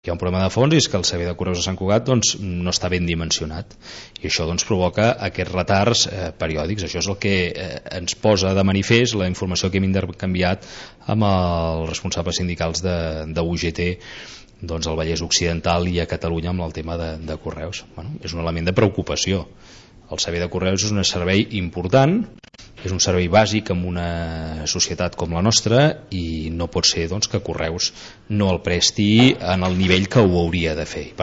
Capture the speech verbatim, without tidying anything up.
Hi ha un problema de fons i és que el servei de correus de Sant Cugat doncs, no està ben dimensionat i això doncs, provoca aquests retards eh, periòdics. Això és el que eh, ens posa de manifest la informació que hem intercanviat amb els responsables sindicals de, de U G T doncs, al Vallès Occidental i a Catalunya amb el tema de, de correus. Bueno, és un element de preocupació. El servei de correus és un servei important, és un servei bàsic en una societat com la nostra i no pot ser doncs, que Correus no el presti en el nivell que ho hauria de fer.